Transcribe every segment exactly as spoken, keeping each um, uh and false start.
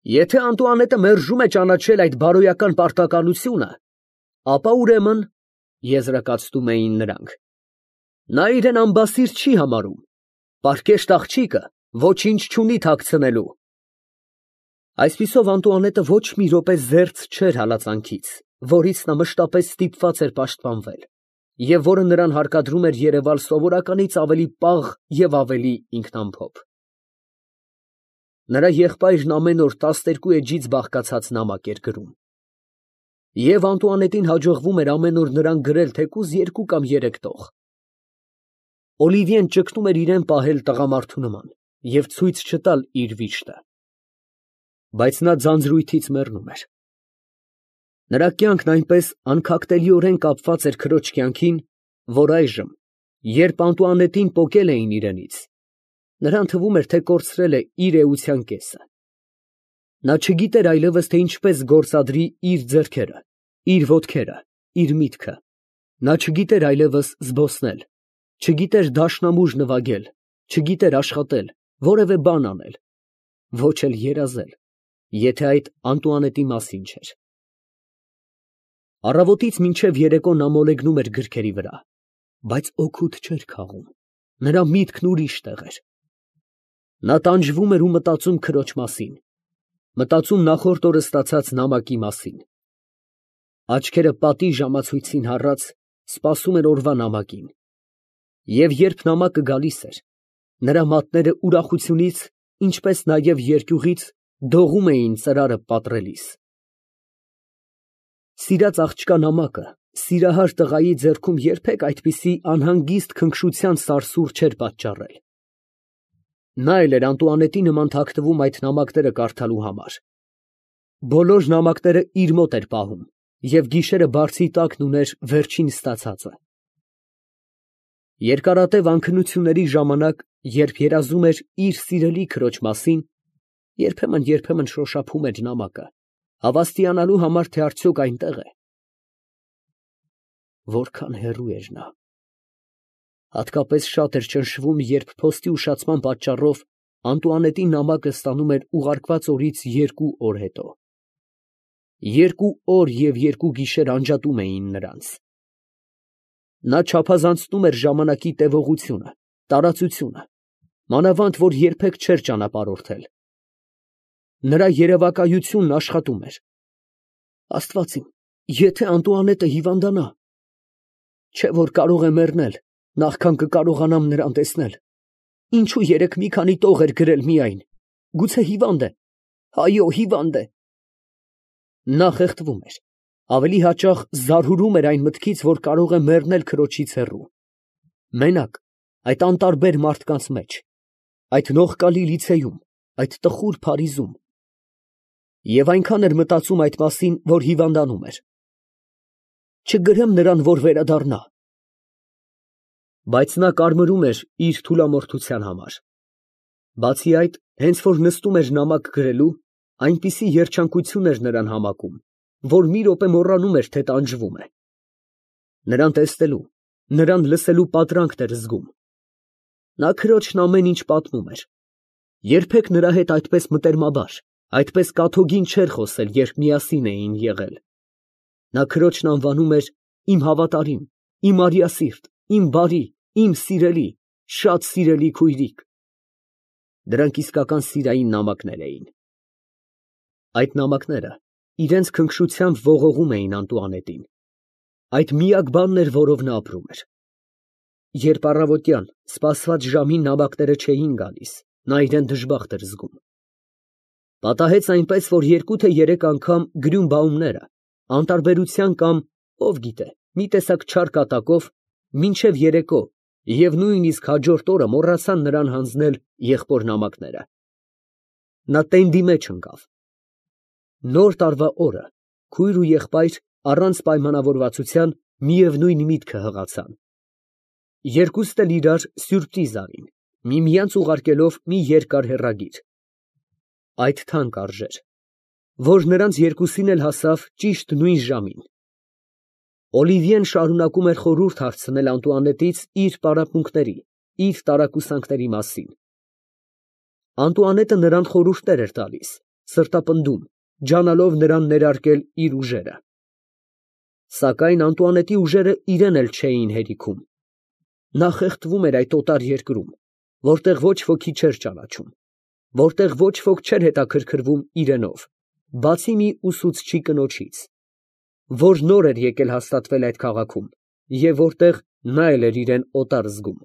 Եթե Անտուանետը մերժում է ճանաչել այդ բարոյական պարտականությունը, ապա ուրեմն, եզրակացնում էին նրանք, նա իրան անբասիր չի համարում, պարկեշտ աղջիկը ոչինչ չունի թաքցնելու։ Այսպիսով Անտուանետը ոչ մի րոպե զերծ չէր հալածանքից, որից նա մշտապես ստիպված էր պաշտպանվել, և որը նրան հարկադրում էր երևալ սովորականից ավելի պաղ և ավելի ինքնամփոփ։ Նրա եղբայրն ամեն օր տասներկու էջից բաղկացած նամակ էր գրում, և Անտուանետին հաջողվում էր ամեն օր նրան գրել թեկուզ երկու կամ երեք տող։ Օլիվիեն ճգնում էր իրան պահել տղամարդու նման և ցույց չտալ իր վիշտը, բայց նա ձանձրույթից մեռնում էր։ Նրա կյանքն այնպես անքակտելիորեն կապված էր քրոջ կյանքին, որ այժմ, երբ Անտուանետին պոկել էին իրենից, նրան թվում էր, թե կորցրել է իր էության կեսը։ Նա չգիտեր այլևս, թե ինչպես գործադրի իր ձեռքերը, իր ոտքերը, իր միտքը, նա չգիտեր այլևս զբոսնել, չգիտեր դաշնամուր նվագել, չգիտեր աշխատել, որևէ բան անել, ոչ էլ երազել, եթե այդ Անտուանետի մասին չէր։ Առավոտից մինչև երեկո նա մոլեգնում էր գրքերի վրա, բայց օգուտ չէր քաղում, նրա միտքն ուրիշ տեղ էր։ Նա տանջվում էր ու մտածում քրոջ մասին, մտածում նախորդ օրը ստացած նամակի մասին։ Աչքերը պատի ժամացույցին հառած, սպասում էր օրվա նամակին, և երբ նամակը գալիս էր, նրա մատները ուրախությունից, ինչպես նաև երկյուղից դողում էին ծրարը պատռելիս։ Սիրած աղջկա նամակը սիրահար տղայի ձեռքում երբեք այդպիսի անհանգիստ քնքշության սարսուռ չէր պատճառել։ Նա էլ էր Անտուանետի նման թաքնվում այդ նամակները կարդալու համար։ Բոլոր նամակները իր մոտ էր պահում և գիշերը բարձի տակն ուներ վերջին ստացածը։ Երկարատև անքնությունների ժամանակ, երբ երազում էր իր սիրելի քրոջ մասին, երբեմն֊երբեմն շոշափում էր նամակը, հավաստիանալու համար, թե արդյոք այնտեղ է։ Որքան հեռու էր նա։ Հատկապես շատ էր ճնշվում, երբ փոստի ուշացման պատճառով Անտուանետի նամակը ստանում էր ուղարկված օրից երկու օր հետո։ Երկու օր և երկու գիշեր անջատում էին նրանց։ Նա չափազանցնում էր ժամանակի տևողությունը, տարածությունը, մանավանդ որ երբեք չէր ճանապարհորդել։ Նրա երևակայությունն աշխատում էր։ Աստված իմ, եթե Անտուանետը հիվանդանա, չէ՞ որ կարող է մեռնել, նախքան կկարողանամ նրան տեսնել։ Ինչո՞ւ երեկ մի քանի տող էր գրել միայն, գուցե հիվանդ է, այո, հիվանդ է։ Նա խեղդվում էր, ավելի հաճախ զարհուրում էր այն մտքից, որ կարող է մեռնել քրոջից հեռու, մենակ, այդ անտարբեր մարդկանց մեջ, այդ նողկալի լիցեյում, այդ տխուր Փարիզում, և այնքան էր մտածում այդ մասին, որ հիվանդանում էր։ Չգրեմ նրան, որ վերադառնա։ Բայց նա կարմրում էր իր թուլամորթության համար։ Բացի այդ, հենց որ նստում էր նամակ գրելու, այնպիսի երջանկություն էր նրան համակում, որ մի րոպե մոռանում էր, թե տանջվում է։ Նրան տեսնելու, նրան լսելու պատրանքն էր զգում։ Նա քրոջն ամեն ինչ պատմում էր։ Երբեք նրա հետ այդպես մտերմաբար, այդպես կաթոգին չէր խոսել, երբ միասին էին եղել։ Նա քրոջն անվանում էր իմ հավատարիմ, իմ արիասիրտ, իմ բարի, իմ սիրելի, շատ սիրելի քույրիկ։ Դրանք իսկական սիրային նամակներ էին։ Այդ նամակները իրենց քնքշությամբ ողողում էին Անտուանետին։ Այդ միակ բանն էր, որով նա ապրում էր։ Երբ առավոտյան սպասված ժամին նամակները չէին գալիս, նա իրան դժբախտ էր զգում։ Պատահեց այնպես, որ երկու թե երեք անգամ գրյունբաումները, անտարբերության կամ, ով գիտե, մի տեսակ չար կատակով, մինչև երեկո և նույնիսկ հաջորդ օրը մոռացան նրան հանձնել եղբոր նամակները։ Նա տենդի մեջ ընկավ։ Նոր տարվա օրը քույր ու եղբայր առանց պայմանավորվածության միևնույն միտքը հղացան։ Երկուստ էլ իրար սյուրպրիզ արին, միմյանց ուղարկելով մի երկար հեռագիր։ Այդ թանկ արժեր, որ նրանց երկուսին էլ հասավ ճիշտ նույն ժամին։ Օլիվիեն շարունակում էր խորհուրդ հարցնել Անտուանետից իր պարապմունքների, իր տարակուսանքների մասին։ Անտուանետը նրան խորհուրդներ էր տալիս, սրտապնդում, ջանալով նրան ներարկել իր ուժերը։ Սակայն Անտուանետի ուժերը իրեն էլ չէին հերիքում։ Նա խեղդվում էր այդ օտար երկրում, որտեղ ոչ ոքի չէր ճանաչում, որտեղ ոչ ոք չէր հետաքրքրվում իրենով, բացի մի ուսուցչի կնոջից, որ նոր էր եկել հաստատվել այդ քաղաքում և որտեղ նա էլ էր իրեն օտար զգում։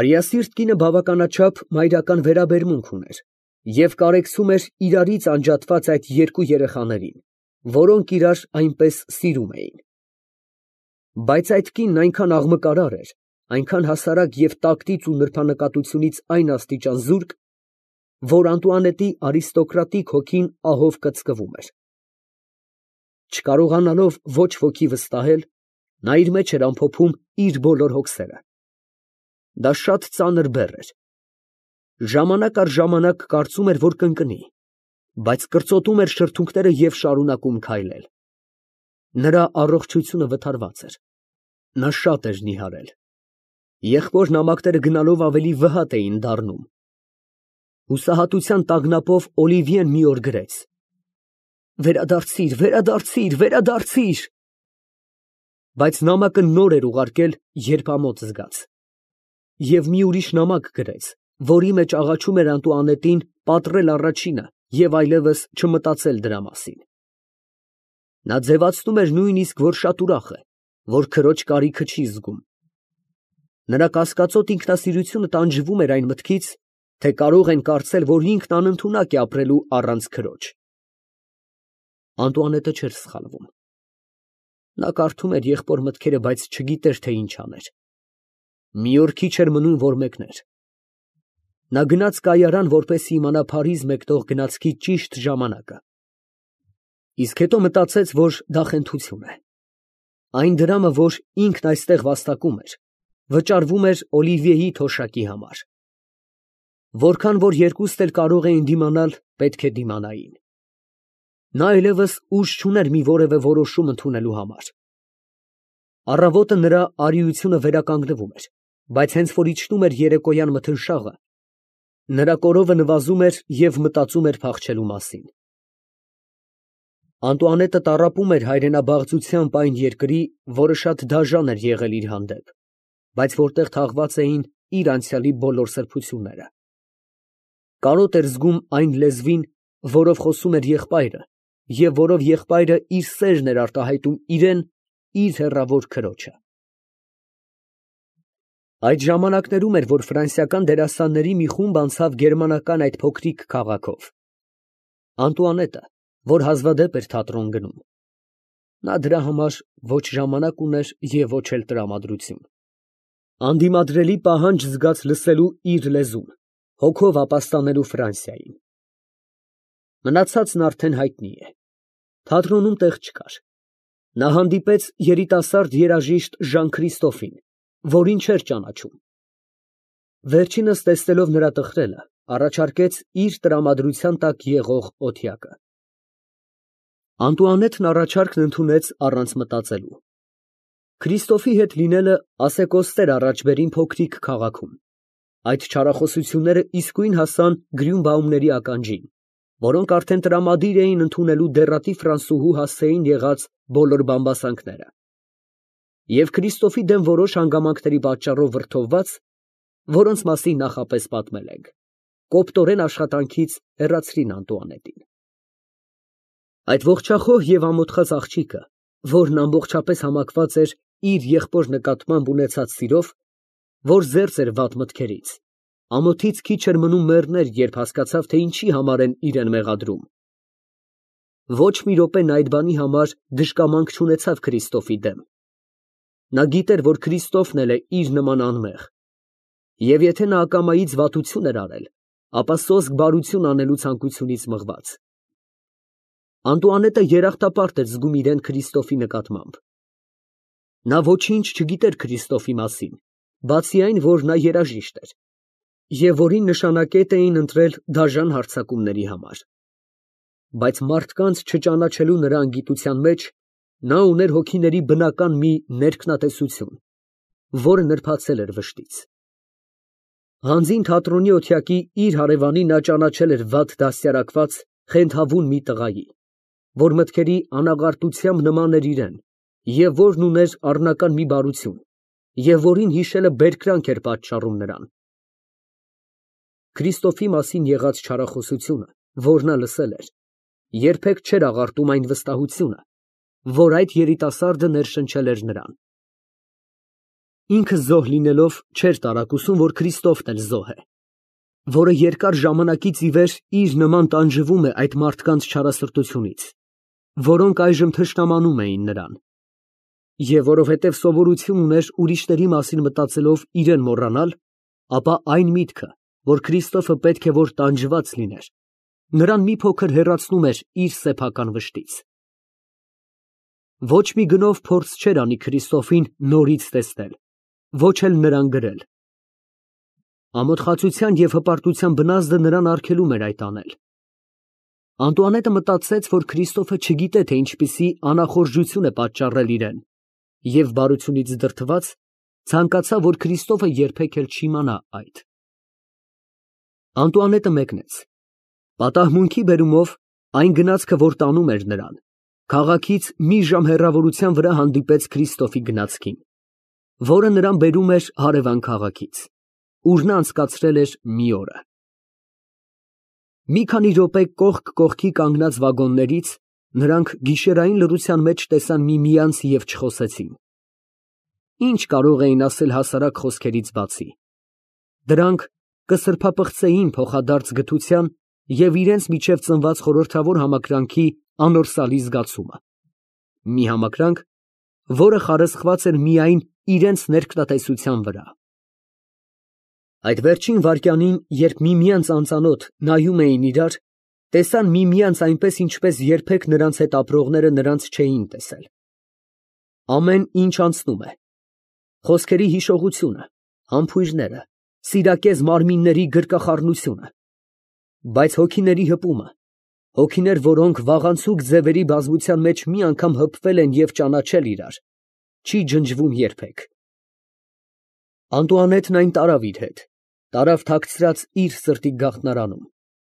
Արիասիրտ կինը բավականաչափ մայրական վերաբերմունք ուներ և կարեկցում էր իրարից անջատված այդ երկու երեխաներին, որոնք իրար այնպես սիրում էին։ Բայց այդ կինն այնքան աղմկարար էր, այնքան հասարակ և տակտից ու նրբանկատությունից այն աստիճան զուրկ, որ Անտուանետի արիստոկրատիկ հոգին ահով կծկվում էր։ Չկարողանալով ոչ ոքի վստահել, նա իր մեջ էր ամփոփում իր բոլոր հոգսերը։ Դա շատ ծանր բեռ էր։ Ժամանակ առ ժամանակ կարծում էր, որ կընկնի, բայց կրծոտում էր շրթունքները և շարունակում քայլել։ Նրա առողջությունը վթարված էր։ Նա շատ էր նիհարել։ Եղբոր նամակները գնալով ավելի վհատ էին դառնում։ Հուսահատության տագնապով Օլիվիեն մի օր գրեց. «Վերադարձի՛ր, վերադարձի՛ր, վերադարձի՛ր»։ Բայց նամակը նոր էր ուղարկել, երբ ամոթ զգաց։ Եվ մի ուրիշ նամակ գրեց, որի մեջ աղաչում էր Անտուանետին պատռել առաջինը և այլևս չմտածել դրա մասին։ Նա ձևացնում էր նույնիսկ, որ շատ ուրախ է, որ քրոջ կարիքը չի զգում։ Նրա կասկածոտ ինքնասիրությունը տանջվում էր այն մտքից, թե կարող են կարծել, որ ինքն անընդունակ է ապրելու առանց քրոջ։ Անտուանետը չէր սխալվում։ Նա կարդում էր եղբոր մտքերը, բայց չգիտեր, թե ինչ աներ։ Մի օր քիչ էր մնում, որ մեկներ։ Նա գնաց կայարան, որպեսզի իմանա Փարիզ մեկնող գնացքի ճիշտ ժամանակը։ Իսկ հետո մտածեց, որ դա խենթություն է։ Այն դրամը, որ ինքն այստեղ վաստակում էր, վճարվում էր Օլիվիեի թոշակի համար։ Որքան որ երկուստ էլ կարող էին դիմանալ, պետք է դիմանային։ Նա այլևս ուժ չուներ մի որևէ որոշում ընդունելու համար։ Առավոտը նրա արիությունը վերականգնվում էր, բայց հենց որ իջնում էր երեկոյան մթնշաղը, նրա կորովը նվազում էր և մտածում էր փախչելու մասին։ Անտուանետը տառապում էր հայրենաբաղձությամբ այն երկրի, որը շատ դաժան էր եղել իր հանդեպ, բայց որտեղ թաղված էին իր անցյալի բոլոր սրբությունները։ Կարոտ էր զգում այն լեզվին, որով խոսում էր եղբայրը, և որով եղբայրը իր սերն էր արտահայտում իրան իր հեռավոր քրոջը։ Այդ ժամանակներում էր, որ ֆրանսիական դերասանների մի խումբ անցավ գերմանական այդ փոքրիկ քաղաքով։ Անտուանետը, որ հազվադեպ էր թատրոն գնում։ Նա դրա համար ոչ ժամանակ ուներ և ոչ էլ տրամադրություն։ Անդիմադրելի պահանջ զգաց լսելու իր լեզուն, հոգով ապաստանելու Ֆրանսիային։ Մնացածն արդեն հայտնի է։ Թատրոնում տեղ չկար։ Նա հանդիպեց երիտասարդ երաժիշտ Ժան Քրիստոֆին, որին չէր ճանաչում։ Վերջինս տեսնելով նրա տխրելը, առաջարկեց իր տրամադրության տակ եղող օթյակը։ Անտուանետն առաջարկն ընդունեց առանց մտածելու։ Քրիստոֆի հետ լինելը ասեկոստ էր առաջ բերին փոքրիկ քաղաքում։ Այդ չարախոսությունները իսկույն հասան Գրյունբաումների ականջին, որոնք արդեն տրամադիր էին ընդունելու դեռատի ֆրանսուհու հասցեին եղած բոլոր բամբասանքները։ Եվ Քրիստոֆի դեմ որոշ հանգամանքների պատճառով վրդովված, որոնց մասին նախապես պատմել ենք, կոպտորեն աշխատանքից հեռացրին Անտուանետին։ Այդ ողջախոհ և ամոթխած աղջիկը, որն ամբողջապես համակված էր իր եղբոր նկատմամբ ունեցած սիրով, որ զերծ էր վատ մտքերից, ամոթից քիչ էր մնում մեռներ, երբ հասկացավ, թե ինչի համար են իրան մեղադրում։ Ոչ մի րոպե նա այդ բանի համար դժկամանք չունեցավ Քրիստոֆի դեմ։ Նա գիտեր, որ Քրիստոֆն էլ է իր նման անմեղ, և եթե նա ակամայից վատություն էր արել, ապա սոսկ բարություն անելու ցանկությունից մղված։ Անտուանետը երախտապարտ էր զգում իրան Քրիստոֆի նկատմամբ։ Նա ոչինչ չգիտեր Քրիստոֆի մասին, բացի այն, որ նա երաժիշտ էր, և որին նշանակետ էին ընտրել դաժան հարձակումների համար։ Բայց մարդկանց չճանաչելու նրա անգիտության մեջ նա ուներ հոգիների բնական մի ներքնատեսություն, որը նրբացել էր վշտից։ Հանձին թատրոնի օթյակի իր հարևանին նա ճանաչել էր վատ դաստիարակված, խենթավուն մի տղայի, որ մտքերի անաղարտությամբ նման էր իրան, և որն ուներ առնական մի բարություն, և որին հիշելը բերկրանք էր պատճառում նրան։ Քրիստոֆի մասին եղած չարախոսությունը, որ նա լսել էր, երբեք չէր աղարտում այն վստահությունը, որ այդ երիտասարդը ներշնչել էր նրան։ Ինքը զոհ լինելով, չէր տարակուսում, որ Քրիստոֆն էլ զոհ է, որը երկար ժամանակից ի վեր իր նման տանջվում է այդ մարդկանց չարասրտությունից, որոնք այժմ թշնամանում էին նրան, և որովհետև սովորություն ուներ ուրիշների մասին մտածելով իրեն մոռանալ, ապա այն միտքը, որ Քրիստոֆը պետք է որ տանջված լիներ, նրան մի փոքր հեռացնում էր իր սեփական վշտից։ Ոչ մի գնով փորձ չէր անի Քրիստոֆին նորից տեսնել, ոչ էլ նրան գրել։ Ամոթխածության և հպարտության բնազդը նրան արգելում էր այդ անել։ Անտուանետը մտածեց, որ Քրիստոֆը չգիտե, թե ինչպիսի անախորժություն է պատճառել իրեն, և բարությունից դրդված, ցանկացավ, որ Քրիստոֆը երբեք էլ չիմանա այդ։ Անտուանետը մեկնեց։ Պատահմունքի բերումով այն գնացքը, որ տանում էր նրան, քաղաքից մի ժամ հեռավորության վրա հանդիպեց Քրիստոֆի գնացքին, որը նրան բերում էր հարևան քաղաքից, ուր նա անցկացրել էր մի օրը։ Մի քանի րոպե կողք կողքի կանգնած վագոններից նրանք գիշերային լռության մեջ տեսան միմյանց և չխոսեցին։ Ինչ կարող էին ասել հասարակ խոսքերից բացի։ Դրանք կսրբապղծեին փոխադարձ գթության և իրենց միջև ծնված խորհրդավոր համակրանքի անորսալի զգացումը, մի համակրանք, որը խարսխված էր միայն իրենց ներկատեցության վրա։ Այդ վերջին վայրկյանին, երբ միմյանց անծանոթ նայում էին իրար, տեսան միմյանց այնպես, ինչպես երբեք նրանց հետ ապրողները նրանց չէին տեսել։ Ամեն ինչ անցնում է, խոսքերի հիշողությունը, համբույրները, սիրակեզ մարմինների գրկախառնությունը, բայց հոգիների հպումը, հոգիներ, որոնք վաղանցուկ ձևերի բազմության մեջ մի անգամ հպվել են և ճանաչել իրար, չի ջնջվում երբեք։ Անտուանետն այն տարավ իր հետ, տարավ թաքցրած իր սրտի գաղտնարանում,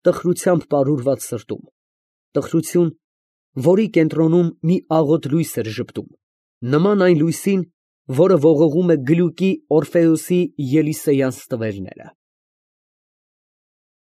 տխրությամբ պարուրված սրտում, տխրություն, որի կենտրոնում մի աղոտ լույս էր ժպտում, նման այն լույսին, որը ողողում է գլուկի Օրֆեոսի Ելիսեյան ստվերները։